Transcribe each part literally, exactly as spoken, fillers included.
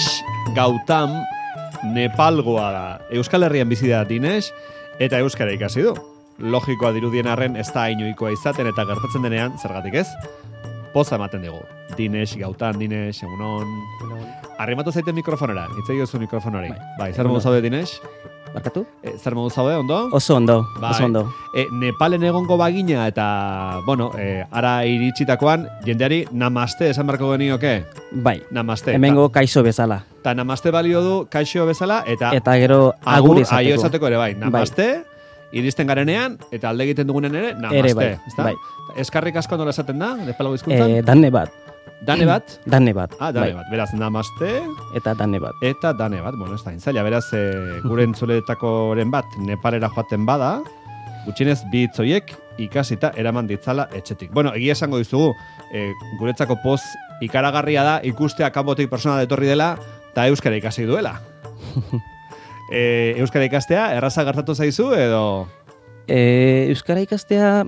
Dinesh Gautam Nepalgoa da. Euskal Herrian bizi da Dinesh eta euskara ikasi du. Logikoa dirudien arren ez da inoikoa izaten eta gertatzen denean, zergatik ez? Poza ematen dugu. Dinesh Gautam, Dinesh, egunon. Arrimatu zaiten mikrofonera, itzai gozu mikrofonari. Bai, bai zer modu zaude, Dinesh? Barkatu? E, zer modu zaude, ondo? Oso ondo, bai. oso ondo. E, Nepalen egongo bagina eta, bueno, e, ara iritsitakoan, jendeari namaste esan barko genioke? Bai, namaste. Hemengo kaixo bezala. Ta namaste balio du kaixo bezala, eta... Eta gero agur izateko. Aio esateko ere, bai, namaste, bai. Iristen garenean, eta alde egiten dugunen ere, namaste. Ere bai, bai. Eskarrik asko nola esaten da, Nepalago hizkuntzan? E, danne bat. Dane bat? Dane bat. Ah, dane bai. bat. Beraz, namaste. Eta dane bat. Eta dane bat. Bueno, ez da intzaila. Beraz, e, gure entzuletakoren bat Nepalera joaten bada, gutxienez bi hitz horiek ikasita eraman ditzala etxetik. Bueno, egia esango dizugu, e, guretzako poz ikaragarria da ikustea kanpotik persona detorri dela eta euskara ikasi duela. e, euskara ikastea, erraza gertatu zaizu edo... E, euskara ikastea...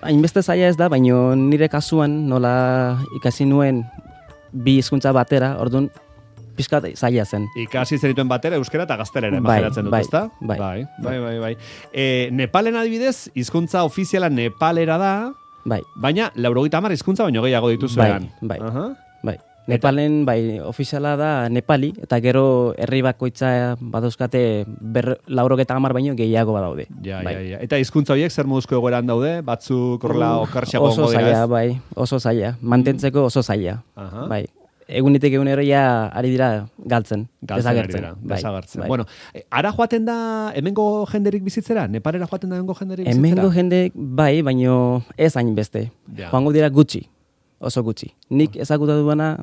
Hainbeste zaila ez da, baino nire kasuan nola ikasi nuen bi hizkuntza batera, orduan pixkat zaila zen. Ikasi zenituen batera euskara eta gaztelera, bai, imaginatzen dut, bai, ezta? Bai, bai, bai, bai, bai. E, Nepalen adibidez, hizkuntza ofiziala Nepalera da, bai. Baina laurogeita hamar hizkuntza baino gehiago dituzuean. Bai, bai, uh-huh. bai. Nepalen, bai, ofiziala da Nepali, eta gero herri bakoitza badauzkate laurogeita hamar baino gehiago badaude. Ja, bai. ja, ja. Eta hizkuntza horiek zer moduzko egoeran daude? Batzuk horrela uh, okarxago oso zaila, bai, oso zaila. Mantentzeko oso zaila. Uh-huh. Bai. Egunetik egunero ja ari dira galtzen, desagertzen. Bai, desagertzen. bai. Bueno, ara joaten da hemengo jenderik bizitzera? Nepalera joaten da hemengo jenderik bizitzera? Hemengo jenderik bai, baino ez hain beste. Ja. Joango dira gutxi, oso gutxi. Nik ezagutu duena,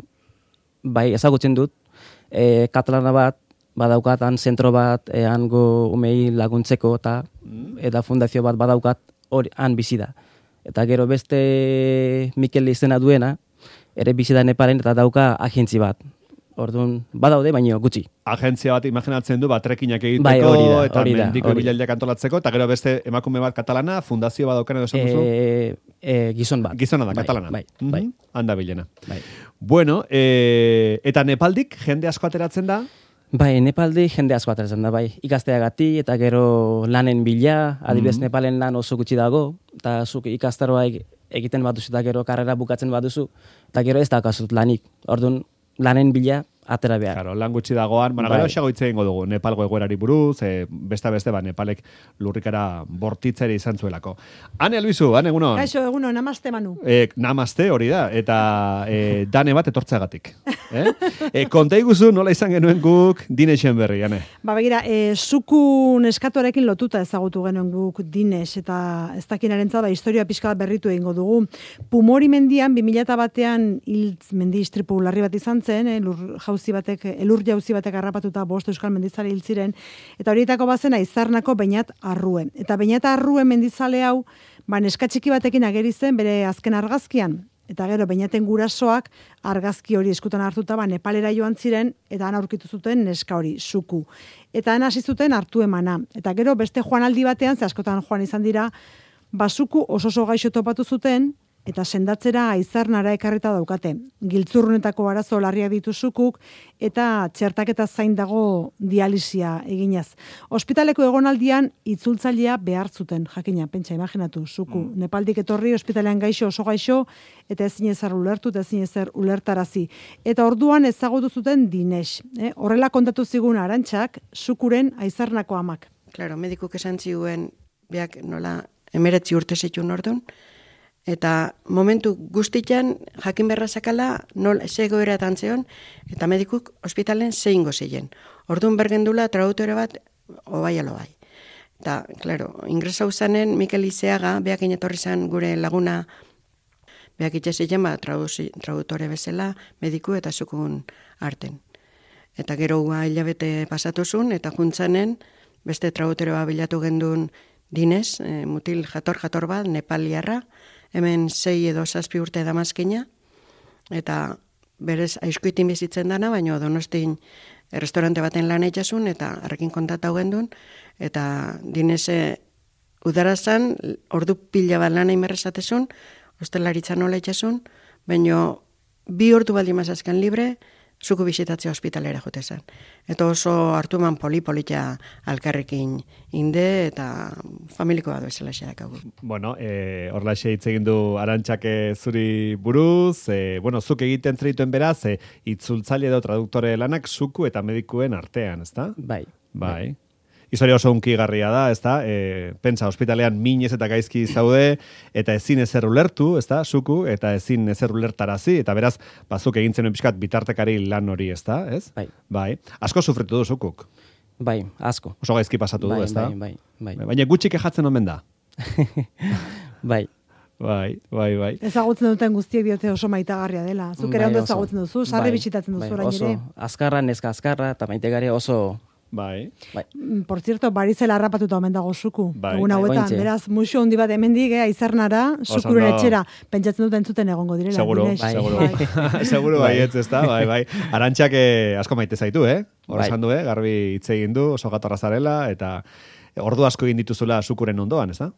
bai, ezagutzen dut, e, katalana bat, badaukat, han zentro bat, e, hango umei laguntzeko, eta mm. eta fundazio bat badaukat, hori, han bizi da. Eta gero beste Mikel izena duena, ere bizi da Nepalen, eta dauka agentzi bat. Orduan, badaude, baino gutxi. Agentzia bat imaginatzen du, bat trekinak egiteko, bai, hori da, eta hori da, mendiko hori. bilaldiak antolatzeko, eta gero beste emakume bat katalana, fundazio bat daukan edo esan duzu? E, e, gizon bat. Gizona da, bai, katalana. Bai, mm-hmm. bai. Handa bilena. Bai. Bueno, e, eta Nepaldik jende asko ateratzen da? Bai, Nepaldik jende asko ateratzen da, bai. Ikasteagatik eta gero lanen bila, adibidez mm-hmm. Nepalen lan oso gutxi dago, eta zuk ikastaroa egiten baduzu, eta gero karrera bukatzen baduzu, eta gero ez daukazut lanik. Orduan, lanen bila atera behar. Claro, lan gutxi dagoan, bueno, bai. Gero xago hitz egingo dugu, Nepalgo egoerari buruz, e, beste beste, ba, Nepalek lurrikara bortitzere izan zuelako. Ane Albizu, ane egunon? Kaixo, egunon, namaste Manu. E, namaste, hori da, eta e, dane bat etortzeagatik. Eh? E, konta iguzu nola izan genuen guk Dinesen berri, ane? Ba, begira, e, zuku neskatoarekin lotuta ezagutu genuen guk Dines, eta ez dakinarentzat, ba, historia pixka berritu egingo dugu. Pumori mendian, bi mila batean hil mendi istripu larri bat izan zen, eh, lur jauzi batek, elur jauzi batek harrapatuta bost euskal mendizale hil ziren, eta horietako bazen Aizarnako Beñat Arrue. Eta Beñat Arrue mendizale hau, ba, neska txiki batekin ageri zen bere azken argazkian. Eta gero, Beñaten gurasoak argazki hori eskutan hartuta, ba, Nepalera joan ziren, eta han aurkitu zuten neska hori, Zuku. Eta han hasi zuten hartu emana. Eta gero, beste joanaldi batean, ze askotan joan izan dira, ba, Zuku oso oso gaixo topatu zuten, eta sendatzera Aizarnara ekarrita daukate. Giltzurrunetako arazo larriak ditu Zukuk, eta txertaketa zain dago dialisia eginaz. Ospitaleko egonaldian itzultzailea behar zuten, jakina, pentsa, imaginatu, Zuku. Mm. Nepaldik etorri, ospitalean gaixo, oso gaixo, eta ezin ezer ulertu, eta ezin ezer ulertarazi. Eta orduan ezagutu zuten Dinesh. Eh? Horrela kontatu zigun Arantxak, Zukuren Aizarnako amak. Claro, medikuk esan ziguen, beak nola emeretzi urte zituen orduan, eta momentu guztitan jakin berra zakala nol zegoera tantzeon, eta medikuk ospitalen zein gozeien. Orduan bergendula traduktore bat obai alo bai. Eta, klaro, ingresau zanen Mikel Izeaga, beak inetorri zan gure laguna, beak itxezien ba, traduktore bezala, mediku eta zukun arten. Eta gero gua hilabete pasatuzun, eta juntzanen, beste traduktore bat bilatu gendun Dines, e, mutil jator-jator bat, Nepaliarra, hemen sei edo zazpi urte damazkina, eta berez aizkuitin bizitzen dana, baina Donostin restaurante baten lan eitxasun, eta harrekin kontatau gendun, eta Dinese udarazan, ordu pila bat lan eimerrezatezun, hostelaritza nola eitxasun, baina bi ordu baldi mazazkan libre, zuku bisitatzea ospitalera jote zen. Eta oso hartuman poli-polita alkarrekin inde eta familiko bat bezala xerakagu. Bueno, eh, horlaxe hitz egin du Arantxak zuri buruz, eh, bueno, zuk egiten zerituen beraz, eh, itzultzaile edo traduktore lanak zuku eta medikuen artean, ezta? Bai. Bai. Historia oso unkigarria da, ezta? E, pentsa, ospitalean minez eta gaizki zaude, eta ezin ezer ulertu, ezta? Zuku, eta ezin ezer ulertarazi, eta beraz, bazuk egin zenuen pixkat bitartekari lan hori, ezta? Ez? Bai. Bai. Asko sufritu du zukuk. Bai, asko. Oso gaizki pasatu bai, du, ezta? Bai, bai, bai. Baina gutxi kejatzen omen da. Bai. Bai, bai, bai. Ezagutzen duten guztiek diote oso maitagarria dela. Zuk ere Bai, ondo oso. ezagutzen duzu, sarri Bai, bisitatzen duzu bai, orain oso ere. azkarra, neska azkarra, eta maitegaria oso... Bai. Bai. Mm, Por cierto, barizela harrapatuta omen dago zuku. Bai. Egun Bai, hauetan, ointxe. beraz, muxo handi bat hemendik, eh, aizernara, zukuren ondo. etxera. Pentsatzen dut entzuten egongo direla. Seguro, Dines. Bai. seguro. Bai. Seguro bai, ez ezta, bai, bai. Arantxak eh, asko maite zaitu, eh? Hor Bai. esan du, eh? Garbi hitz egin du, oso gatorra zarela, eta ordu asko egin dituzula zukuren ondoan, ezta?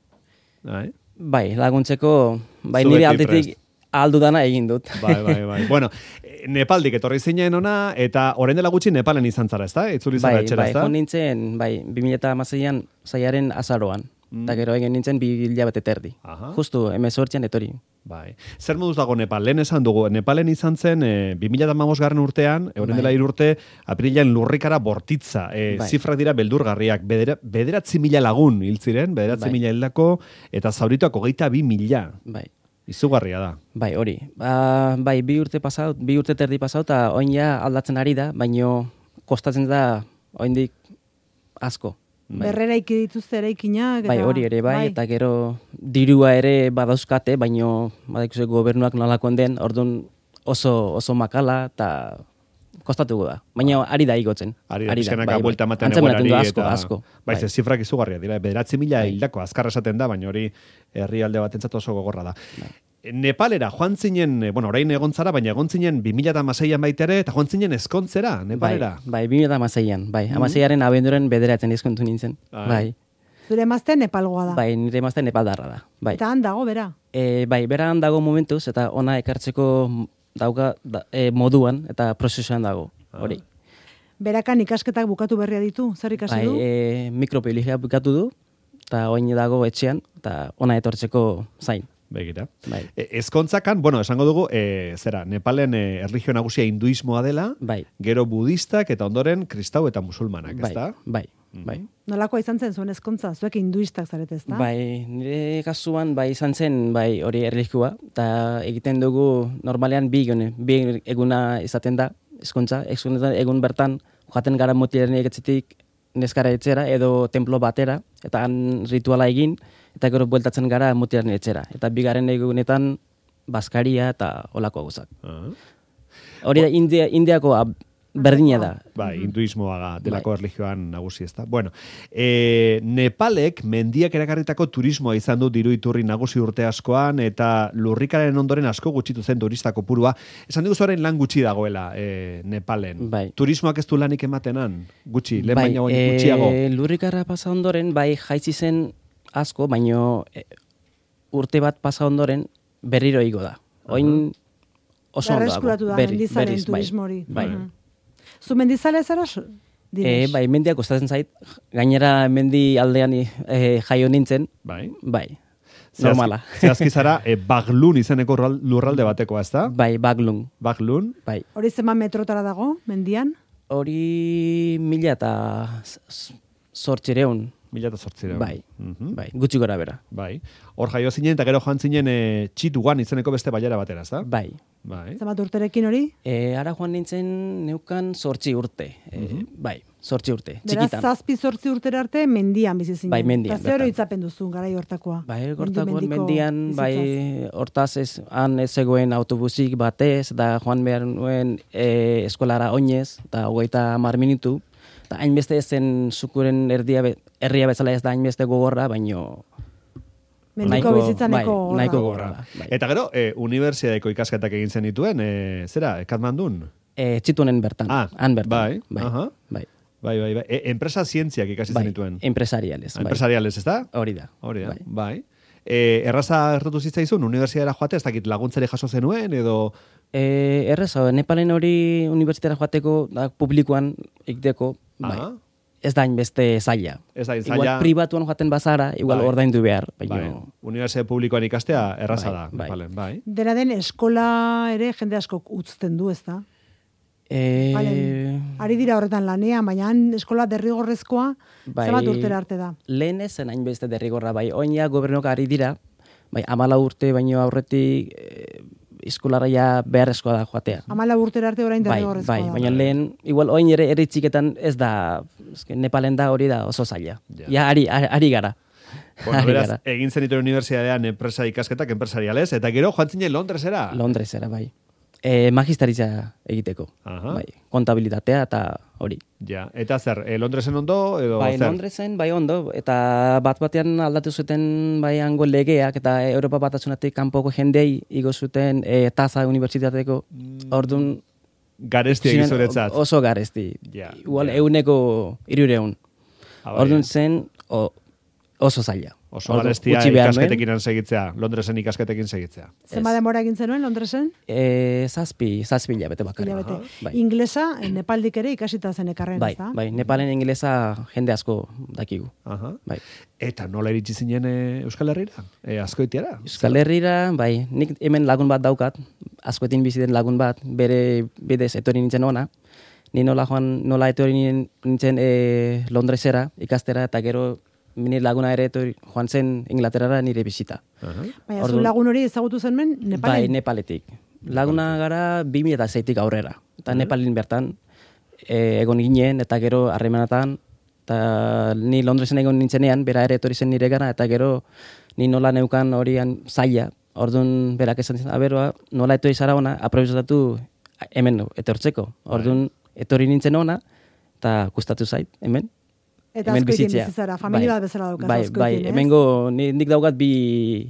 Bai. Bai, laguntzeko, bai Zu nire beti aldetik prest. aldu dana egin dut. Bai, bai, bai. Bueno, eh, Nepaldik etorri zinen ona, eta orain dela gutxi Nepalen izan zara, ezta? Itzuli zara Bai, etxera, bai, ezta? joan nintzen, bai, bi mila hamaseian zaiaren azaroan. Mm. Eta gero egin nintzen bi hilabete terdi. Aha. Justu, emezortzian etori. Bai. Zer moduz dago Nepal? Lehen esan dugu, Nepalen izan zen e, bi mila hamabost garren urtean, orain Bai. dela hiru urte, apirilean lurrikara bortitza. E, Bai. Zifrak dira beldurgarriak. Bedera, bederatzi mila lagun hil ziren, bederatzi Bai. mila hildako, eta zaurituak hogeita bi mila. Bai. Izugarria da. Bai, hori. Ba, bai, bi urte pasau, bi urte terdi pasau, eta oin ja aldatzen ari da, baino kostatzen da oindik asko. Bai. Berreraiki dituzte eraikinak. Bai, eta- hori ere bai, eta gero dirua ere badauzkate, baino badakizue gobernuak nolakoen den, orduan oso oso makala eta kostatuko da. Baina ari da igotzen. Ari da, Ari pixkanaka bai, buelta bai. ematen Antzeman egoerari. du asko, eta, asko. Bai, Bai. ze zifrak izugarria dira. Bederatzi mila Bai. hildako azkar esaten da, baina hori herrialde batentzat oso gogorra da. Bai. Nepalera joan zinen, eh, bueno, orain egon zara, baina egon zinen bi mila hamaseian baita ere, eta joan zinen ezkontzera, Nepalera. Bai, bai, bi mila hamaseian, bai. Hamaseiaren abenduren bederatzen izkontu nintzen. Bai. Bai. Zure emazte Nepalgoa da. Bai, nire emazte Nepaldarra da. Bai. Eta han dago, bera. E, bai, beran dago momentuz, eta ona ekartzeko dauka da, e, moduan, eta prozesuan dago. Hori. Berakan ikasketak bukatu berria ditu, zer ikasi Bai, du? e, mikrobiologia bukatu du, eta oin dago etxean, eta ona etortzeko zain. Begira. Bai. E, ezkontzakan, bueno, esango dugu, e, zera, Nepalen e, erlijio nagusia hinduismoa dela, Bai. gero budistak eta ondoren kristau eta musulmanak, Bai, ezta? bai, bai. Nolakoa izan zen zuen ezkontza? Zuek hinduistak zarete, ezta? Bai, nire kasuan bai izan zen bai hori erlijioa, eta egiten dugu normalean bi egune, bi eguna izaten da, ezkontza, ezkontza egun bertan, joaten gara mutilaren egetzetik neskara etxera edo templo batera, eta han rituala egin, eta gero bueltatzen gara mutilaren etxera. Eta bigarren egunetan baskaria eta olako gauzak. Ah. Hori da India, Indiako ab- berdina da. Bai, hinduismoa delako Bai. erlijioan nagusi, ezta. Bueno, e, Nepalek mendiak erakarritako turismoa izan du diru iturri nagusi urte askoan, eta lurrikaren ondoren asko gutxitu zen turista kopurua. Esan dugu orain lan gutxi dagoela e, Nepalen. Bai. Turismoak ez du lanik ematenan? Gutxi, lehen Bai, baina baina eh, gutxiago. lurrikarra pasa ondoren, bai jaitsi zen asko, baino eh, urte bat pasa ondoren berriro igo da. Oin oso ondo dago. Berreskuratu da, Berri- mendizalen berriz, bai. turismo hori. Bai. Mhm. Zu mendizale zara? so- Eh, Dines? bai, mendiak kostatzen zait, gainera mendi aldean eh, jaio nintzen, Bai. bai, Zehazki- normala. Zehazki zara, e, Baglun izeneko lurral- lurralde batekoa, ezta? Bai, baglung, Baglun, bai. Hori zenbat metrotara dago, mendian? Hori mila eta zortzireun, mila eta zortzireun. bai, Mhm. bai, gutxi gora bera, Bai. Hor jaio zinen, eta gero joan zinen e, Txituan izeneko beste baiara batera, ezta? bai. Bai. Zenbat urterekin hori? E, ara joan nintzen neukan zortzi urte, e, bai, zortzi urte, Beraz, txikitan. zazpi zortzi urtera arte mendian bizi zinen. Bai, mendian, Eta zer bertan. itzapen duzu garai hortakoa? Bai, Mendi gortakoan mendiko mendian, bai, bizitzaz. hortaz ez, han ez zegoen autobusik batez, da joan behar nuen e, eskolara oinez, eta hogeita hamar minutu, eta hainbeste ez zen zukuren erdia, be- herria bezala ez da hainbeste gogorra, baino Mendiko bizitza bai, nahiko gogorra. nahiko gogorra da. Bai. Eta gero, e, unibertsiadeko ikasketak egin zen dituen, e, zera, Katmandun? E, txitunen bertan, Ah, han bertan. bai, bai, aha. bai, Bai, bai, bai. E, enpresa zientziak ikasi bai, zen dituen. empresariales, bai. Empresariales, ez da? Hori da. Hori da, bai. bai. E, erraza gertatu zitzaizun, unibertsitatera joate, ez dakit laguntzari jaso zenuen, edo... E, errez, hau, Nepalen hori unibertsitatera joateko, da, publikoan ikdeko, bai. Aha. Ez da inbeste zaila. Ez da Igual zaila... pribatuan joaten bazara, igual Bai. ordaindu behar. Baina, Bai, unibertsitate publikoan ikastea erraza Bai, da. bai. Nepalen, bai. Dena den eskola ere jende asko utzten du, ez da? e, Balen, ari dira horretan lanean, baina han eskola derrigorrezkoa bai, zenbat urtera arte da. lehen ezen hainbeste derrigorra, bai, oina gobernok ari dira, bai, amala urte baino aurretik e, eskolara ja beharrezkoa da joatea. Hamala urtera arte orain Bai, derrigorrezkoa bai, da. baina lehen, igual oin ere eritxiketan ez da, eske, Nepalen da hori da oso zaila. Ja. Ja, ari, ari, ari gara. Bueno, Ari beraz, gara. egin zen ituen unibertsitatean enpresa ikasketak enpresarialez, eta gero joan zinen Londresera. Londresera, bai. E, magistaritza egiteko. Aha. Bai, kontabilitatea eta hori. Ja, eta zer, e, Londresen ondo, edo Bai, zer? Londresen, bai ondo, eta bat batean aldatu zuten bai hango legeak, eta Europa batasunatik kanpoko jendei igo zuten e, taza unibertsitateko, orduan... Garesti egin ziren zuretzat. Oso garesti. Ja, Igual ja. euneko irureun. Ah, bai, Orduan eh. zen o, oso zaila. Oso Orduan, garestia utzi behar nuen. ikasketekin segitzea, Londresen ikasketekin segitzea. Zenbat denbora egin zenuen Londresen? E, zazpi, zazpi hilabete bakarrik. Hilabete. Bai. Inglesa, Nepaldik ere ikasita zen ekarren, Bai, ez da? bai, Nepalen ingelesa jende asko dakigu. Aha. Bai. Eta nola iritsi zinen e, Euskal Herrira? E, Azkoitiara? Euskal Herrira, bai, nik hemen lagun bat daukat, askoetin bizi den lagun bat, bere bidez etorri nintzen ona. Ni nola joan, nola etorri nintzen e, Londresera ikastera, eta gero nire laguna ere etorri joan zen Inglaterrara nire bisita. Aha. Baina zu Orduan- lagun hori ezagutu zen men, Nepalen? Bai, Nepaletik. Laguna gara bi mila seitik aurrera. Eta Nepalin bertan e, egon ginen, eta gero harremanatan, eta ni Londresen egon nintzenean, bera ere etorri zen nire gara, eta gero ni nola neukan horian zaila, orduan berak esan zen, aberoa, nola etorri zara ona, aprobetxatu hemen etortzeko. Orduan etorri nintzen ona, eta gustatu zait, hemen. Eta hemen azkoitien bizitzea. bizitzara, familia Bai. bat bezala daukaz Bai, bai, azkoitien, ez? hemengo, ni, nik daukat bi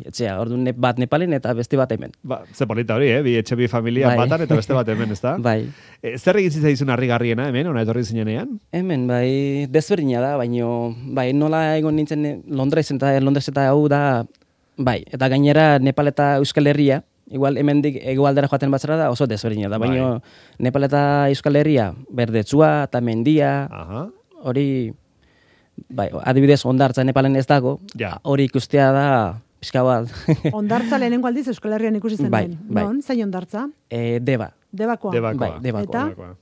etxea, orduan ne, bat Nepalen eta beste bat hemen. Ba, ze polita hori, eh? Bi etxe bi familia Bai. batan eta beste bat hemen, ezta? Bai. E, zer egin zitzaizun harrigarriena hemen, ona etorri zinenean? Hemen, bai, desberdina da, baino, bai, nola egon nintzen Londresen eta Londres eta hau da, bai, eta gainera Nepal eta Euskal Herria, igual hemendik hegoaldera joaten batzara da oso desberdina da, baino Nepal eta Euskal Herria, berdetsua eta mendia, Aha. hori, bai, adibidez Hondartza Nepalen ez dago, Ja. hori ikustea da pixka bat, Hondartza lehenengo aldiz Euskal Herrian ikusi zen Bai, bai. Non, zain hondartza? e, deba, Debakoa. Debakoa. bai, debakoa. Eta? Debakoa.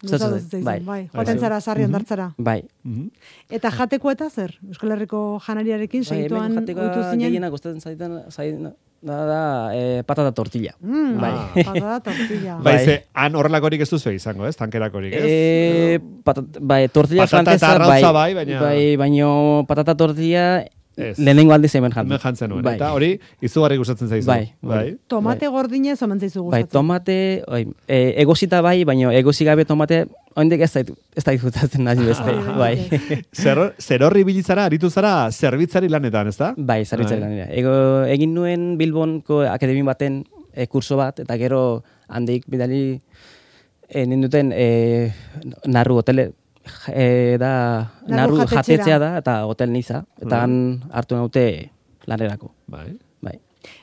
Gustatu Bai. zitzaizu, Bai. bai. Joaten zara sarri hondartzara. bai. Mhm. Eta jateko eta zer? Euskal Herriko janariarekin Bai, segituan hemen jateko ohitu zinen? gehiena gustatzen zaitan, zaitan da, da e, patata tortilla. Mm, Bai. patata tortilla. Bai, Bai. ze, han horrelakorik ez duzu izango, ez? Tankerakorik, ez? E, patat, bai, tortilla Patata eta francesa, arrautza bai, bai, baina- bai, baino patata tortilla Ez. lehenengo aldiz hemen jantzen. Hemen jantzen nuen, Bai. eta hori izugarri gustatzen zaizu. Bai, bai. Tomate gordinez omen zaizu Bai, gustatzen. tomate, oi, e, egosita bai, baino egosi gabe tomate, oindik ez dait, ez dait gustatzen nahi beste, Ah, bai. Zer, zer horri bilizara, aritu zara, zerbitzari lanetan, ezta? Bai, zerbitzari Bai. lanera. Ego, egin nuen Bilbonko akademi baten e, kurso bat, eta gero handik bidali e, ninduten e, narru hotele, e, da, Narru narru jatetxera. jatetzea da, eta hotel niza, eta han hartu naute lanerako. Bai. Bai.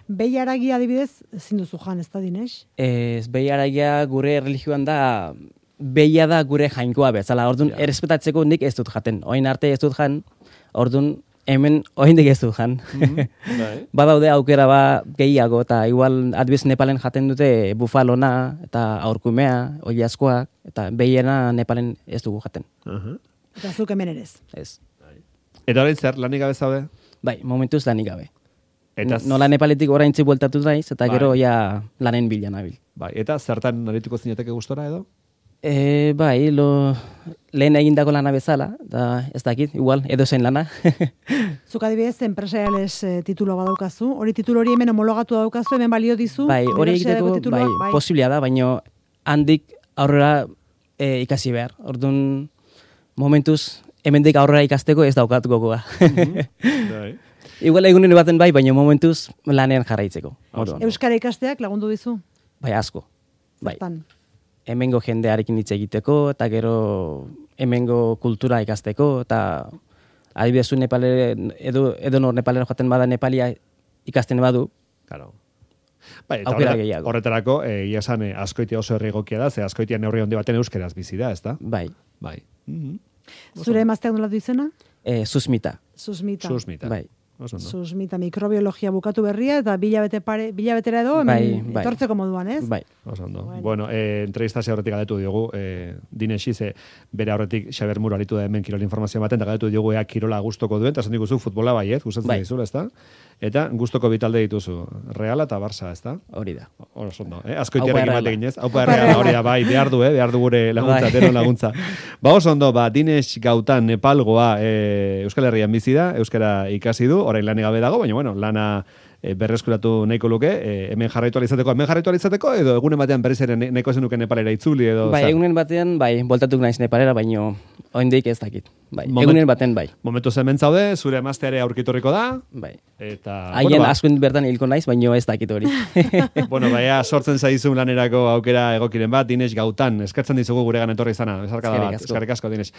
Behi haragi adibidez, ezin duzu jan, ez da dinez? Ez, behi aragia gure religioan da, behia da gure jainkoa bezala, orduan errespetatzeko nik ez dut jaten. Oin arte ez dut jan, orduan hemen oindik ez dut jan. Bai. Badaude aukera ba gehiago, eta igual adibidez Nepalen jaten dute bufalona, eta aurkumea, oilaskoak, eta behiena Nepalen ez dugu jaten. Aha. Eta zuk hemen ere ez. Ez. Eta orain zer, lanik gabe zaude? Bai, momentuz lanik gabe. Eta, Nola Nepaletik oraintzi bueltatu naiz, eta Bai. gero ja lanen bila nabil. bai, eta zertan arituko zinateke gustora edo? E, bai, lo, lehen egindako lana bezala, da ez dakit, igual, edo zen lana. Zuk adibidez, enpresariales eh, titulo badaukazu, hori titulo hori hemen homologatu daukazu, hemen balio dizu. bai, hori unibertsitateko egiteko, titulua, bai, posiblea da, baina handik aurrera e, ikasi behar. Orduan, momentuz, hemendik aurrera ikasteko ez daukat gogoa. Bai. Igual egunen baten bai, baina momentuz lanean jarraitzeko. Orduan, Euskara ikasteak lagundu dizu? bai, asko. Bai. Zertan? Hemengo jendearekin hitz egiteko, eta gero hemengo kultura ikasteko, eta Adibidez, zu Nepale, edo, edo nor Nepalera joaten bada Nepalia ikasten badu, Claro. Bai, eta Aukera horre- gehiago. horretarako, eh, egia esan, eh, Azkoitia oso herri egokia da, ze Azkoitia neurri handi baten euskeraz bizi da, ezta? bai, Bai. Mhm. Zure emazteak nola du izena? e, susmita, Susmita. Susmita. bai. Oso ondo. Susmita mikrobiologia bukatu berria eta bilabete pare, bilabetera edo hemen Bai, bai. etortzeko moduan, ez? Bai. Oso ondo. Bueno. Bueno, eh, entrevistazio horretik galdetu diogu, eh, Dinesi, ze bere horretik Xaber Muro aritu da hemen kirol informazio baten, eta galdetu diogu ea kirola gustoko duen, eta esan diguzu futbola bai, ez? Gustatzen Bai. dizula, ezta? Eta gustoko bitalde dituzu, Reala eta Barça, ezta? Hori da. Oso ondo, eh? Azkoitiarekin Aupa bat Erreala. eginez. Aupa Erreala, hori da, bai, behar du, eh? Behar du gure laguntza, Bai. denon laguntza. Ba, oso ondo, ba, Dines Gautan Nepalgoa eh, Euskal Herrian bizi da, Euskara ikasi du, orain lan gabe dago, baina, bueno, lana eh, berreskuratu nahiko luke, eh, hemen jarraitu alizateko, hemen jarraitu alizateko, edo egunen batean berriz ere ne- nahiko zenuke Nepalera itzuli, edo Bai, zer? egunen batean, bai, voltatuk naiz Nepalera, baino oraindik ez dakit. Bai, Moment- egunen baten bai. Momentu hemen zaude, zure emazteare aurkitorriko da, Bai. eta... Haien bueno, ba, askoen bertan hilko naiz, baino ez dakit hori. bueno, baina sortzen zaizun lanerako aukera egokiren bat, Dines Gautan, eskertzen dizugu guregan etorri izana, esarkada Eskerrik bat, asko. eskerrik asko, Dines.